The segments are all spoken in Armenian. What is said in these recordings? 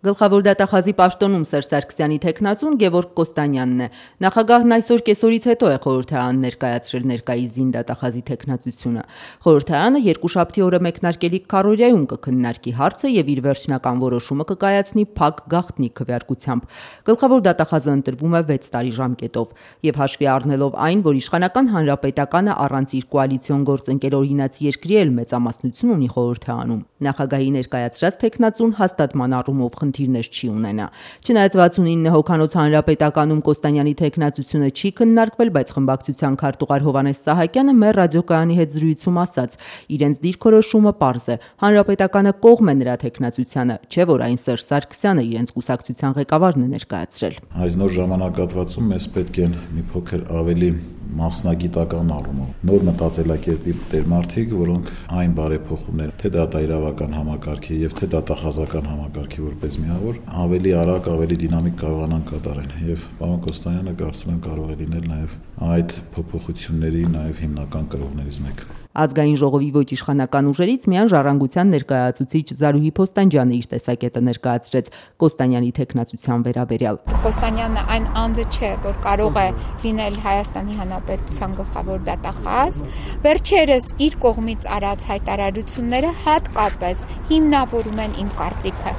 Գլխավոր դատախազի պաշտոնում Սերժ Սարգսյանի թեկնածուն Գևորգ Կոստանյանն է։ Նախագահն այսօր կեսօրից հետո է խորհրդարան ներկայացրել ներկայիս զինդատախազի թեկնածությունը։ Խորհրդարանը երկուշաբթի օրը մեկնարկելիք քարոզիայում կքննարկի հարցը եւ իր վերջնական որոշումը կկայացնի փակ գաղտնի քվեարկությամբ։ Գլխավոր դատախազը ընտրվում է 6 տարի ժամկետով եւ հաշվի առնելով այն, որ իշխանական հանրապետականը առանց իր կոալիցիոն գործընկեր օրինաց երկրի էլ մեծամասնություն ունի խորհրդարանում, նախագահի ներկայացրած թեկնածուն հաստատման առումով խնդիրներ չի ունենա։ Չնայած 69 հոգանոց հանրապետականում Կոստանյանի թեկնածությունը չի քննարկվել, բայց խմբակցության քարտուղար Հովհաննես Սահակյանը մեր ռադիոկայանի հետ զրույցում ասաց. իրենց դիրքորոշումը պարզ է, հանրապետականը կողմ է նրա թեկնածությանը, չէ որ այն Սերժ Սարգսյանը իրենց կուսակցության ղեկավարն է ներկայացրել։ Այս նոր ժամանակահատվածում մեզ պետք են մի փոքր ավելի մասնագիտական առումով նոր մտածելակերպի տերմարդիկ, որոնք այն բարեփոխումներ, թե դա իրավական համակարգի եւ թե դատախազական համակարգի որպես միավոր, ավելի արագ, ավելի դինամիկ կարողանան կատարել։ Եվ պարոն Կոստանյանը կարծում եմ կարող է լինել նաեւ այդ փոփոխությունների նաեւ հիմնական կրողներից մեկը։ Ազգային ժողովի ոչ իշխանական ուժերից միայն Ժառանգության ներկայացուցիչ Զարուհի Փոստանջյանը իր տեսակետը ներկայացրեց Կոստանյանի թեկնածության վերաբերյալ։ Կոստանյանը այն անձը չէ, որ կարող է լինել Հայաստանի Հանրապետության գլխավոր դատախազ։ Վերջերս իր կողմից արած հայտարարությունները հատկապես հիմնավորում են իմ կարծիքը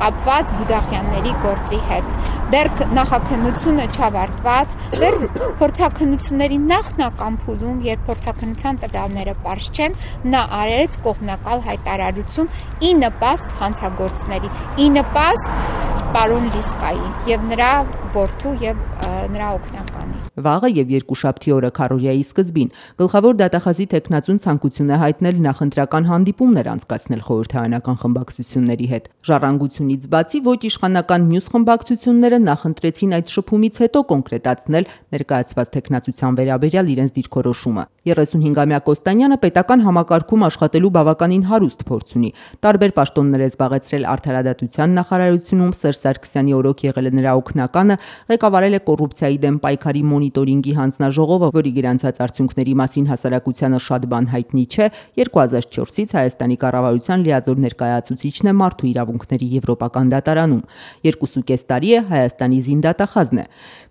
կապված Բուդաղյանների գործի հետ։ Դեռ նախաքննությունը չավարտված, դեռ փորձաքննությունների նախնական փուլում, երբ փորձաքննության տվյալները պարզ չեն, նա արեց կողմնակալ հայտարարություն ի նպաստ հանցագործների, ի նպաստ պարոն Լիսկայի եւ նրա որդու եւ նրա օգնականի։ Վաղը եւ երկուշաբթի օրը քարոզիայի սկզբին գլխավոր դատախազի թեկնածուն ցանկություն է հայտնել նախընտրական հանդիպումներ անցկացնել խորհրդարանական խմբակցությունների հետ։ Ժառանգությունից բացի ոչ իշխանական մյուս խմբակցությունները նախընտրեցին այդ շփումից հետո կոնկրետացնել ներկայացված թեկնածության վերաբերյալ իրենց դիրքորոշումը։ 35-ամյա Կոստանյանը պետական համակարգում աշխատելու բավականին հարուստ փորձ ունի։ Տարբեր պաշտոններ է զբաղեցրել Արդարադատության նախարարությունում, Սերժ Սարգսյանի օրոք եղել է նրա օգնականը, ղեկավարել է կոռուպցիայի դեմ պայքարի մոնիտորինգի հանձնաժողովը, որի գրանցած արդյունքների մասին հասարակությանը շատ բան հայտնի չէ, 2004-ից Հայաստանի կառավարության լիազոր ներկայացուցիչն է մարդու իրավունքների եվրոպական դատարանում, 2.5 տարի է Հայաստանի զինդատախազն է։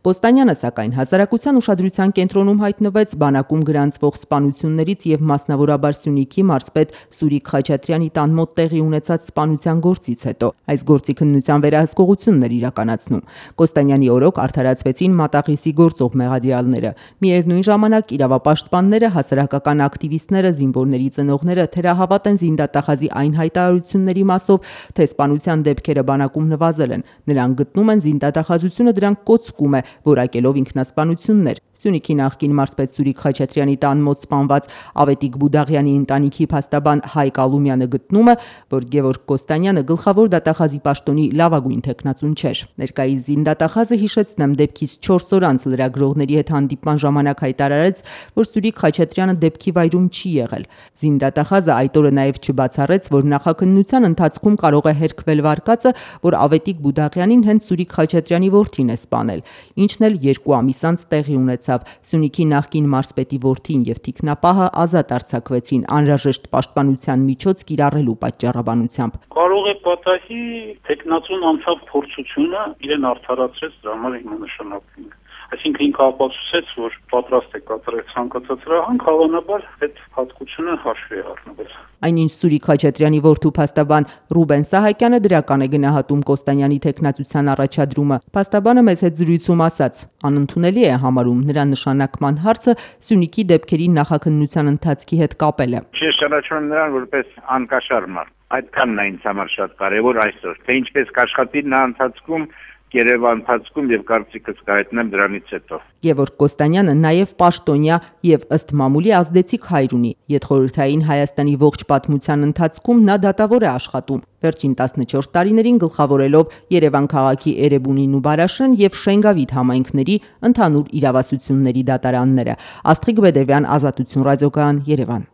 Կոստանյանը, սակայն, հասարակության ուշադրության կենտրոնում հայտնվեց բանակում գրանցվող սպանություններից եւ մասնավորաբար Սյունիքի մարզպետ Սուրիկ Խաչատրյանի տան մոտ տեղի ունեցած սպանության գործից հետո։ Այս գործի քննության վերահսկողությունն էր իրականացնում։ Կոստանյանի օրոք արդարացվեցին մատաղիսի գործող մեղադրյալները։ Միևնույն ժամանակ իրավապաշտպանները, հասարակական ակտիվիստները, զինվորների ծնողները թերահավատ են զինդատախազի այն հայտարարությունների մասով, թե սպանության դեպքերը բանակում նվազել են։ Նրանք գտնում են զինդատախազությունը դրանք կոծկում է, որակելով ինքնասպանություններ։ Սյունիքի նախկին մարզպետ Սուրիկ Խաչատրյանի տան մոտ սպանված Ավետիք Բուդաղյանի ընտանիքի փաստաբան Հայկ Ալումյանը գտնում է, որ Գևորգ Կոստանյանը գլխավոր դատախազի պաշտոնի լավագույն թեկնածուն չէր։ Ներկայիս զինդատախազը, հիշեցնեմ, դեպքից 4 օր անց լրագրողների հետ հանդիպման ժամանակ հայտարարեց, որ Սուրիկ Խաչատրյանը դեպքի վայրում չի եղել։ Զինդատախազը այդ օրը նաև չբացառեց, որ նախաքննության ընթացքում կարող է հերքվել վարկածը, որ Ավետիք Բուդաղյանին հենց Սուրիկ Խաչատրյանի որդին է սպանել, ինչն էլ 2 ամիս անց տեղի ունեցավ։ Սյունիքի նախկին մարզպետի որդին եւ թիկնապահը ազատ արձակվեցին անհրաժեշտ պաշտպանության միջոց կիրառելու պատճառաբանությամբ։ Կարող է պատահի թեկնածուն անցավ փորձությունը, իրեն արդարացրեց, դրա համար հիմա նշանակվենք։ Այսինքն ինքը ապացուցեց, որ պատրաստ է կատարել ցանկացած հրահանգ, հավանաբար այդ հատկությունը հաշվի է առնվել։ Այնինչ Սուրիկ Խաչատրյանի որդու փաստաբան Ռուբեն Սահակյանը դրական է գնահատում Կոստանյանի թեկնածության առաջադրումը։ Փաստաբանը մեզ հետ զրույցում ասաց. անընդունելի է համարում նրա նշանակման հարցը Սյունիքի դեպքերի նախաքննության ընթացքի հետ կապելը։ Ես ճանաչում եմ նրան որպես անկաշար մարդ։ Այդքանն է ինձ համար շատ կարևոր այսօր, թե ինչպես կաշխատի նա ընթացքում Երևան ընթացքում եւ կարծիքս կհայտնեմ դրանից հետո։ Գևորգ Կոստանյանը նաև պաշտոնյա եւ ըստ մամուլի ազդեցիկ հայր ունի։ Ետխորհրդային Հայաստանի ողջ պատմության ընթացքում նա դատավոր է աշխատում։ Վերջին 14 տարիներին գլխավորելով Երևան քաղաքի Էրեբունին ու Բարաշեն եւ Շենգավիթ համայնքների ընդհանուր իրավասությունների դատարանները։ Աստղիկ Բեդևյան, Ազատություն ռադիոկայան, Երևան։